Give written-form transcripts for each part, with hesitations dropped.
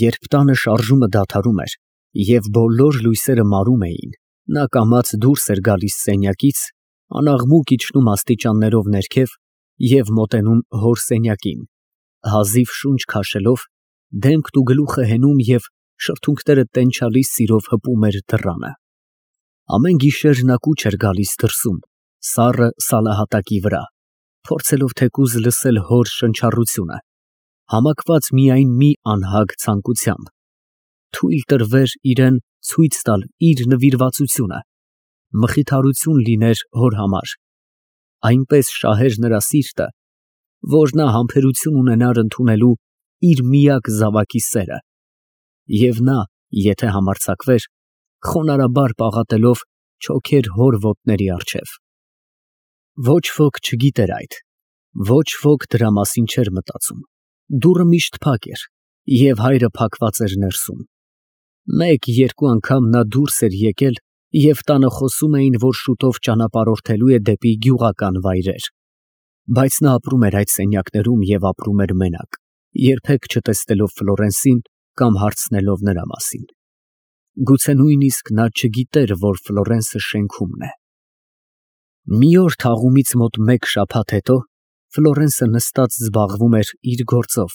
Երբ տանը շարժումը դադարում էր և բոլոր լույսերը մարում էին, նա կամաց դուրս էր գալիս սենյակից, անաղմուկ իջնում աստիճաններով ներքև և մոտենում հոր սենյակին, հազիվ շունչ քաշելով, դեմքն ու գլուխը հենում և շրթունքները տենչալի սիրով հպում էր դռանը։ Ամեն գիշեր նա կուչ էր գալիս դրսում, սառը սալահատակի վրա, փորձելով թեկուզ լսել հոր շնչառությունը, համակված միայն մի անհագ ցանկությամբ՝ թույլ տրվեր իրան ցույց տալ իր նվիրվածությունը, մխիթարություն լիներ հոր համար, այնպես շահեր նրա սիրտը, որ նա համբերություն ունենար ընդունելու իր միակ զավակի սերը, և նա, եթե համարձակվեր, խոնարհաբար պաղատելով չոքեր հոր ոտների առջև։ Ոչ ոք չգիտեր այդ, ոչ ոք դրա մասին չէր մտածում, դուռը միշտ փակ էր, և հայրը փակված էր ներսում։ Մեկ֊երկու անգամ նա դուրս էր եկել, և տանը խոսում էին, որ շուտով ճանապարհորդելու է դեպի գյուղական վայրեր, բայց նա ապրում էր այդ սենյակներում և ապրում էր մենակ, երբեք չտեսնելով Ֆլորենսին կամ հարցնելով նրա մասին։ Գուցե նույնիսկ նա չգիտեր, որ Ֆլորենսը շենքումն է։ Մի օր թաղումից մոտ մեկ շաբաթ հետո Ֆլորենսը նստած զբաղվում էր իր գործով,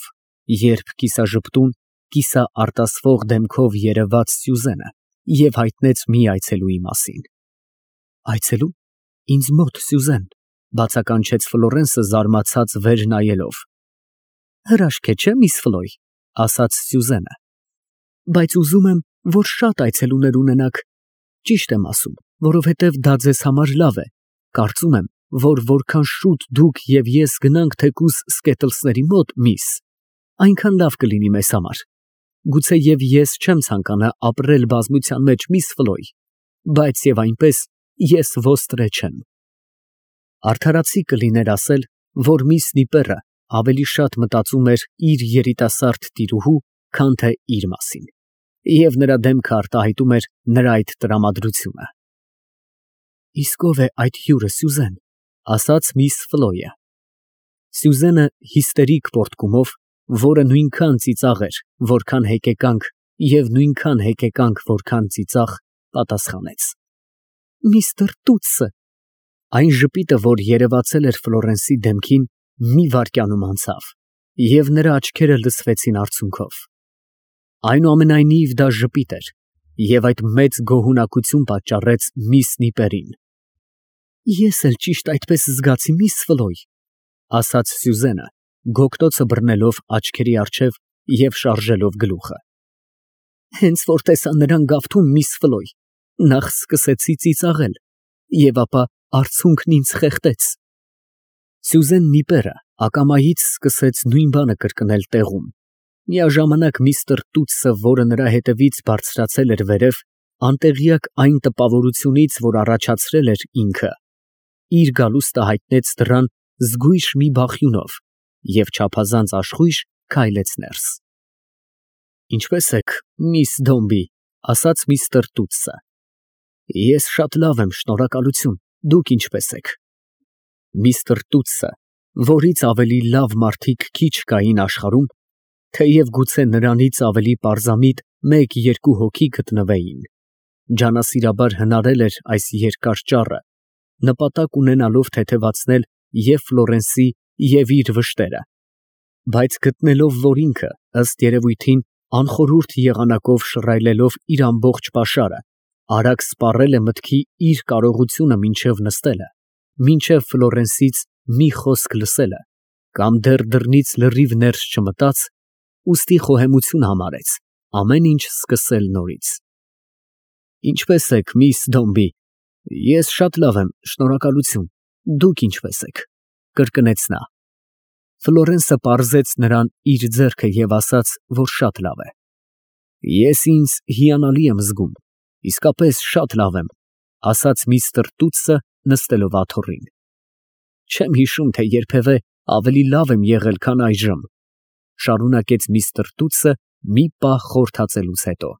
երբ կիսաժպտուն, կիսաարտասվող դեմքով երևաց Սյուզենը և հայտնեց մի այցելուի մասին։ Այցելո՞ւ։ Ինձ մոտ, Սյուզեն, բացականչեց Ֆլորենսը զարմացած վեր նայելով։ Հրաշք է, չէ՞, միս Ֆլոյ, ասաց Սյուզենը, բայց ուզում եմ, որ շատ այցելուներ ունենաք։ Ճիշտ եմ ասում, որովհետև դա ձեզ համար լավ է, կարծում եմ, որ որքան շուտ դուք և ես գնանք թեկուզ Սկետլսների մոտ, միս, այնքան լավ կլինի մեզ համար։ Գուցե և ես չեմ ցանկանա ապրել բազմության մեջ, միս Ֆլոյ, բայց և այնպես ես ոստրե չեմ։ Արդարացի կլիներ ասել, որ միս Նիպերը ավելի շատ մտածում էր իր երիտասարդ տիրուհու, քան թե իր մասին, և նրա դեմքը արտահայտում էր նրա այդ տրամադրությունը։ Իսկ ո՞վ է այդ հյուրը, Սյուզեն, ասաց միս Ֆլոյը։ Սյուզենը հիստերիկ պոռթկումով, որը նույնքան ծիծաղ էր, որքան հեկեկանք, և նույնքան հեկեկանք, որքան ծիծաղ, պատասխանեց. Միստր Տուտսը։ Այն ժպիտը, որ երևացել էր Ֆլորենսի դեմքին, մի վայրկյանում անցավ, և նրա աչքերը լցվեցին արցունքով։ Այնուամենայնիվ դա ժպիտ էր, և այդ մեծ գոհունակություն պատճառեց միս Նիպերին։ Ես էլ ճիշտ այդպես զգացի, միս Ֆլոյ, ասաց Սյուզենը, գոգտոցը բռնելով աչքերի առջև և շարժելով գլուխը։ Հենց որ տեսա նրան գավթում, միս Ֆլոյ, նախ սկսեցի ծիծաղել, և ապա արցունքն ինձ խեղդեց։ Սյուզեն Նիպերը ակամայից սկսեց նույն բանը կրկնել տեղում։ Միաժամանակ միստր Տուտսը, որը նրա հետևից բարձրացել էր վերև, անտեղյակ այն տպավորությունից, որ առաջացրել էր ինքը, իր գալուստը հայտնեց դռան զգույշ մի բախյունով և չափազանց աշխույժ քայլեց ներս։ Ինչպե՞ս եք, միս Դոմբի, ասաց միստր Տուտսը։ Ես շատ լավ եմ, շնորհակալություն, դուք ինչպե՞ս եք։ Միստր Տուտսը, որից ավելի լավ մարդիկ քիչ կային աշխարհում, թեև գուցե նրանից ավելի պարզամիտ մեկ֊երկու հոգի գտնվեին, ջանասիրաբար հնարել էր այս երկար ճառը, նպատակ ունենալով թեթևացնել և Ֆլորենսի, և իր վշտերը, բայց գտնելով, որ ինքը, ըստ երևույթին, անխորհուրդ եղանակով շռայլելով իր ամբողջ պաշարը, արագ սպառել է մտքի իր կարողությունը մինչև նստելը, մինչև Ֆլորենսից մի խոսք լսելը, կամ դեռ դռնից լրիվ ներս չմտած, ուստի խոհեմություն համարեց ամեն ինչ սկսել նորից։ Ինչպե՞ս եք, միս Դոմբի, ես շատ լավ եմ, շնորհակալություն, դուք ինչպե՞ս եք, կրկնեց նա։ Ֆլորենսը պարզեց նրան իր ձեռքը և ասաց, որ շատ լավ է։ Ես ինձ հիանալի եմ զգում, իսկապես շատ լավ եմ, ասաց միստր Տուտսը, նստելով աթոռին։ Չեմ հիշում, թե երբևէ ավելի լավ եմ եղել, քան այժմ, շարունակեց միստր Տուտսը մի պահ խորհրդածելուց հետո։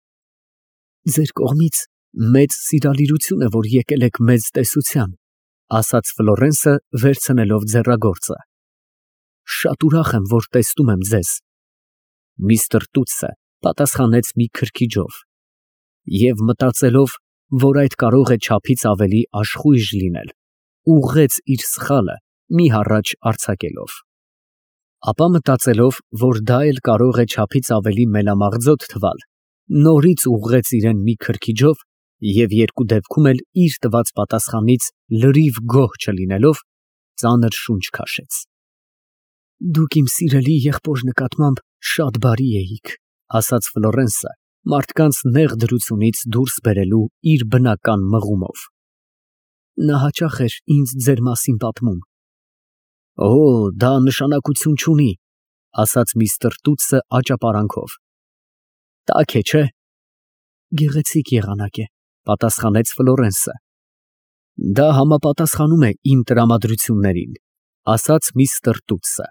Ձեր կողմից մեծ սիրալիրություն է, որ եկել եք մեծ տեսության, ասաց Ֆլորենսը, վերցնելով ձեռագործը։ Շատ ուրախ եմ, որ տեսնում եմ ձեզ։ Միստր Տուտսը Պատասխանեց մի քրքիջով և մտածելով, որ այդ կարող է չափից ավելի աշխույժ լինել, ուղղեց իր սխալը մի հառաչ արձակելով։ Ապա մտածելով, որ դա էլ կարող է չափից ավելի մելամաղձոտ թվալ, նորից ուղղեց իրեն մի քրքիջով և երկու դեպքում էլ իր տված պատասխանից լրիվ գոհ չլինելով, ծանր շունչ քաշեց։ Դուք իմ սիրելի եղբոր նկատմամբ շատ բարի էիք, ասաց Ֆլորենսը, մարդկանց նեղ դրությունից դուրս բերելու իր բնական մղումով։ Նա հաճախ էր ինձ ձեր մասին պատմում։ Օ, դա նշանակություն չունի, ասաց միստր Տուտսը աճապարանքով։ Տաք է, չէ՞։ Գեղեցիկ եղանակ է, պատասխանեց Ֆլորենսը։ Դա համապատասխանում է իմ տրամադրություններին, ասաց միստր Տուտսը։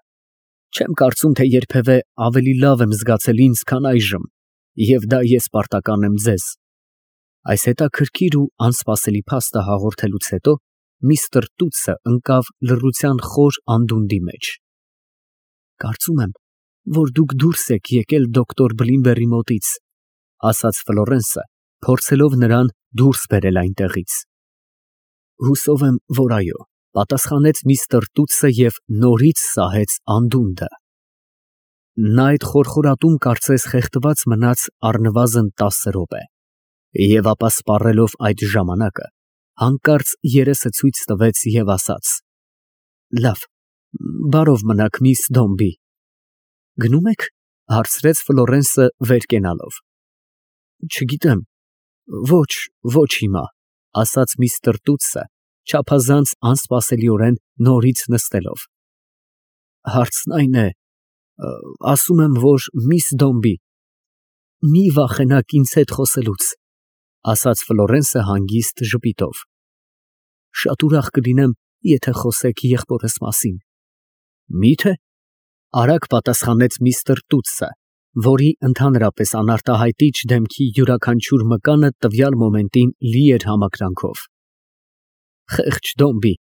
Չեմ կարծում, թե երբևէ ավելի լավ եմ զգացել ինձ, քան այժմ, և դա ես պարտական եմ ձեզ։ Այս հետաքրքիր ու անսպասելի փաստը հաղորդելուց հետո միստր Տուտսը ընկավ լռության խոր անդունդի մեջ։ Կարծում եմ, որ դուք դուրս եք եկել դոկտոր Բլինբերի մոտից, ասաց Ֆլորենսը, փորձելով նրան դուրս բերել այնտեղից։ Հուսով եմ, որ այո, պատասխանեց միստր Տուտսը և նորից սահեց անդունդը։ Նա այդ խորխորատում կարծես խեղդված մնաց առնվազն 10 րոպե, և ապա սպառելով այդ ժամանակը, հանկարծ երեսը ցույց տվեց և ասաց. Լավ, բարով մնաք, միս Դոմբի։ Գնո՞ւմ եք, հարցրեց Ֆլորենսը վեր կենալով։ Չգիտեմ, ոչ հիմա, ասաց միստր Տուտսը, չափազանց անսպասելիորեն նորից նստելով։ Հարցն այն է, ասում եմ, որ միս Դոմբի, մի վախենաք ինձ հետ խոսելուց, ասաց Ֆլորենսը հանգիստ ժպիտով։ Շատ ուրախ կլինեմ, եթե խոսեք եղբորս մասին։ Մի՞թե, արագ պատասխանեց միստր Տուտսը, որի ընդհանրապես անարտահայտիչ դեմքի յուրաքանչյուր մկանը տվյալ մոմենտին լի էր համակրանքով։ Խեղճ Դոմբի,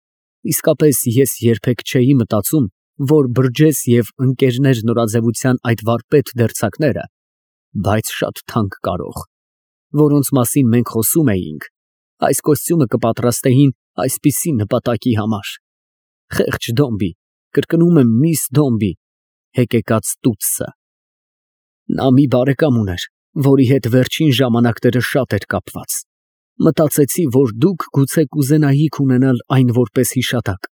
իսկապես ես երբեք չէի մտածում, որ բրջես և ընկերներ նորաձևության այդ վարպետ դերձակները, բայց շատ թանկ կարող, որոնց մասին մենք խոսում էինք, այս կոստյումը կպատրաստեին այսպիսի նպատակի համար։ Խեղճ Դոմբի, կրկնում եմ, միս Դոմբի, հեկեկաց Տուտսը։ Նա մի բարեկամ ուներ, որի հետ վերջին ժամանակները շատ էր կապված։ Մտածեցի, որ դուք գուցե կուզենայիք ունենալ այն որպես հիշատակ։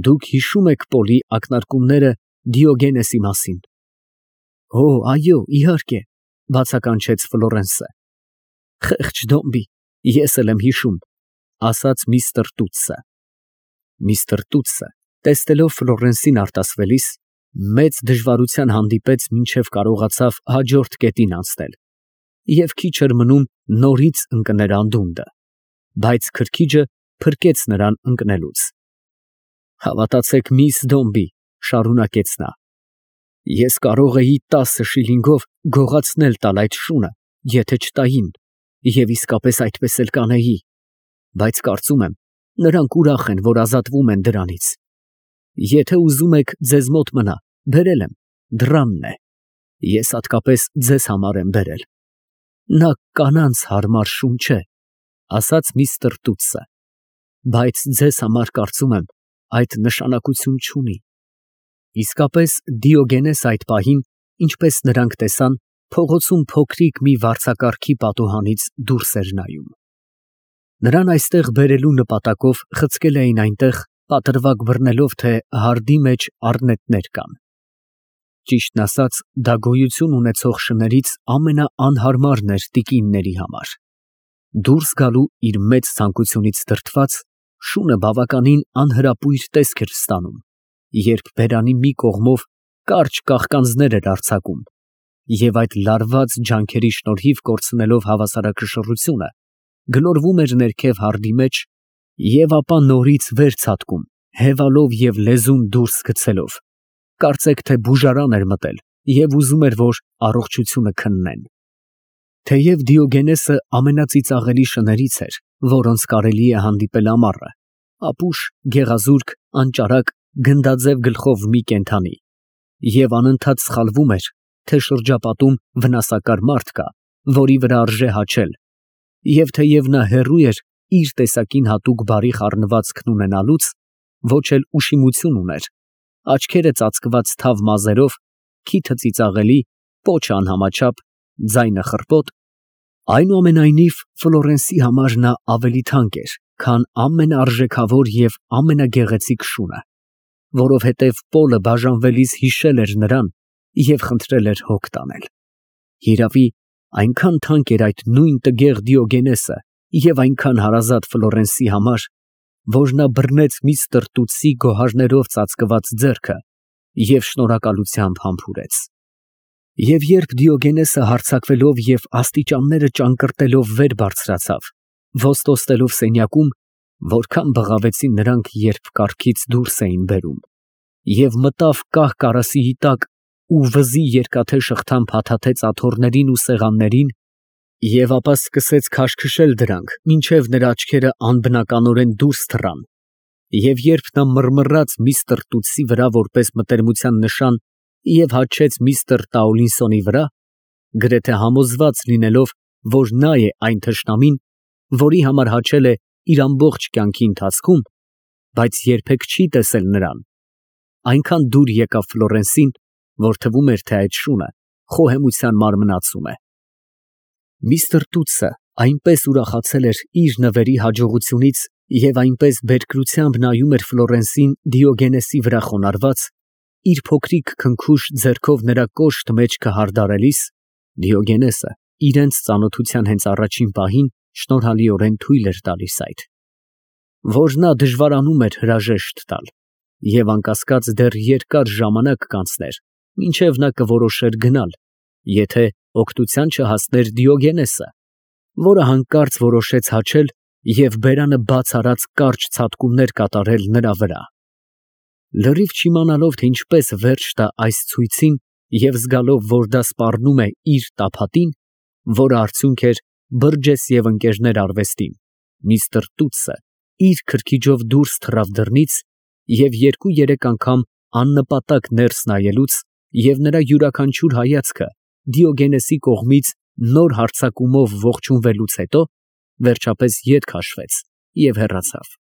Դուք հիշում եք Պոլի ակնարկումները Դիոգենեսի մասին։ Օ, այո, իհարկե, բացականչեց Ֆլորենսը։ Խեղճ Դոմբի, ես էլ եմ հիշում, ասաց միստր Տուտսը։ Միստր Տուտսը, տեսնելով Ֆլորենսին արտասվելիս, մեծ դժվարության հանդիպեց, մինչև կարողացավ հաջորդ կետին անցնել, և քիչ էր մնում նորից ընկներ անդունդը, բայց քրքիջը փրկեց նրան ընկնելուց։ Հավատացեք, միս Դոմբի, շարունակեց նա, ես կարող էի 10 շիլինգով գողացնել տալ այդ շունը, եթե չտային, և իսկապես այդպես էլ կանեի, բայց կարծում եմ, նրանք ուրախ են, որ ազատվում են դրանից։ Եթե ուզում եք ձեզ մոտ մնա, բերել եմ, դռանն է, ես հատկապես ձեզ համար եմ բերել։ Նա կանանց հարմար շուն չէ, ասաց միստր Տուտսը, բայց ձեզ համար կարծում եմ, այդ նշանակություն չունի։ Իսկապես Դիոգենես այդ պահին, ինչպես նրանք տեսան, փողոցում փոքրիկ մի վարձակարգի պատուհանից դուրս էր նայում։ Նրան այստեղ բերելու նպատակով խցկել էին այնտեղ, պատրվակ բռնելով, թե հարդի մեջ առնետներ կան։ Ճիշտն ասած, դա գոյություն ունեցող շներից ամենաանհարմարն էր տիկինների համար։ Դուրս գալու իր մեծ ցանկությունից դրդված, շունը բավականին անհրապույր տեսք էր ստանում, երբ բերանի մի կողմով կարճ կաղկանձներ էր արձակում, և այդ լարված ջանքերի շնորհիվ կորցնելով հավասարակշռությունը, գլորվում էր ներքև հարդի մեջ և ապա նորից վեր ցատկում, հևալով և լեզուն դուրս գցելով, կարծեք թե բուժարան էր մտել և ուզում էր, որ առողջությունը քննեն։ Թեև Դիոգենեսը ամենածիծաղելի շներից էր, որոնց կարելի է հանդիպել ամառը, ապուշ, գեղազուրկ, անճարակ, գնդաձև գլխով մի կենդանի, և անընդհատ սխալվում էր, թե շրջապատում վնասակար մարդ կա, որի վրա արժե հաչել, և թեև նա հեռու էր իր տեսակին հատուկ բարի խառնվածքն ունենալուց, ոչ էլ ուշիմություն ուներ, աչքերը ծածկված թավ մազերով, քիթը ծիծաղելի, պոչը անհամաչափ, ձայնը խռպոտ, այնուամենայնիվ Ֆլորենսի համար նա ավելի թանկ էր, քան ամենաարժեքավոր և ամենագեղեցիկ շունը, որովհետև Պոլը բաժանվելիս հիշել էր նրան և խնդրել էր հոգ տանել։ Հիրավի, այնքան թանկ էր այդ նույն տգեղ Դիոգենեսը և այնքան հարազատ Ֆլորենսի համար, որ նա բռնեց միստր Տուտսի գոհարներով ծածկված ձեռքը և շնորհակալությամբ համբուրեց։ Եվ երբ Դիոգենեսը հարձակվելով և աստիճանները ճանկռտելով վեր բարձրացավ, ոստոսելով սենյակում, որքան բղավեցին նրանք, երբ կառքից դուրս էին բերում, և մտավ կահ կարասիի տակ ու վզի երկաթե շղթան փաթաթեց աթոռներին ու սեղաններին, և ապա սկսեց քաշքշել դրանք, մինչև նրա աչքերը անբնականորեն դուրս թռան, և երբ նա մռմռաց միստր Տուտսի վրա որպես մտերմության նշան և հաչեց միստր Տաուլինսոնի վրա, գրեթե համոզված լինելով, որ նա է այն թշնամին, որի համար հաչել է իր ամբողջ կյանքի ընթացքում, բայց երբեք չի տեսել նրան, այնքան դուր եկավ Ֆլորենսին, որ թվում էր, թե այդ շունը խոհեմության մարմնացում է։ Միստր Տուտսը այնպես ուրախացել էր իր նվերի հաջողությունից և այնպես բերկրությամբ նայում էր Ֆլորենսին Դիոգենեսի վրա խոնարհված, իր փոքրիկ քնքուշ ձեռքով նրա կոշտ մեջքը հարդարելիս, Դիոգենեսը իրենց ծանոթության հենց առաջին պահին շնորհալիորեն թույլ էր տալիս այդ, որ նա դժվարանում էր հրաժեշտ տալ, և անկասկած դեռ երկար ժամանակ կանցներ, մինչև նա կորոշեր գնալ, եթե օգնության չհասներ Դիոգենեսը, որը հանկարծ որոշեց հաչել և բերանը բաց արած կարճ ցատկումներ կատարել նրա վրա։ Լրիվ չիմանալով, թե ինչպես վերջ տա այս ցույցին և զգալով, որ դա սպառնում է իր տափատին, որը արդյունք էր Բըրջես և Ընկերներ արվեստին, միստր Տուտսը իր քրքիջով դուրս թռավ դռնից և երկու֊երեք անգամ աննպատակ ներս նայելուց և նրա յուրաքանչյուր հայացքը Դիոգենեսի կողմից նոր հարձակումով ողջունվելուց հետո, վերջապես ետ քաշվեց և հեռացավ։